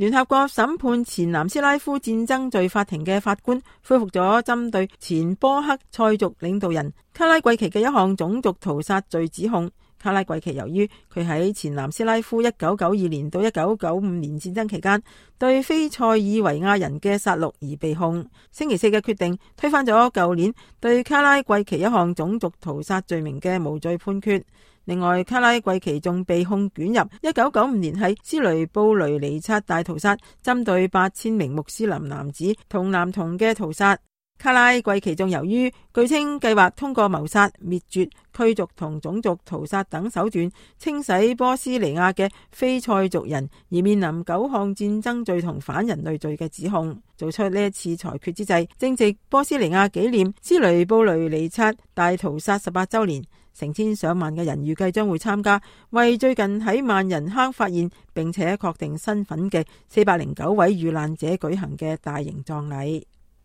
聯合國審判前南斯拉夫戰爭罪法庭嘅法官恢復咗針對前波克塞族領導人卡拉季奇嘅一項種族屠殺罪指控。卡拉季奇由於佢喺前南斯拉夫1992年到1995年戰爭期間對非塞爾維亞人嘅殺戮而被控。星期四嘅決定推翻咗舊年對卡拉季奇一項種族屠殺罪名嘅無罪判決。另外，卡拉季奇仲被控捲入1995年喺斯雷布雷尼察大屠殺，針對8000名穆斯林男子同男童嘅屠殺。卡拉季奇仲由於據稱計劃通過謀殺、滅絕、驅逐同種族屠殺等手段清洗波斯尼亞嘅非塞族人，而面臨9項戰爭罪同反人類罪嘅指控。做出呢一次裁決之際，正值波斯尼亞紀念斯雷布雷尼察大屠殺18週年，成千上萬嘅人預計將會參加為最近喺萬人坑發現並且確定身份嘅409位遇難者舉行嘅大型葬禮。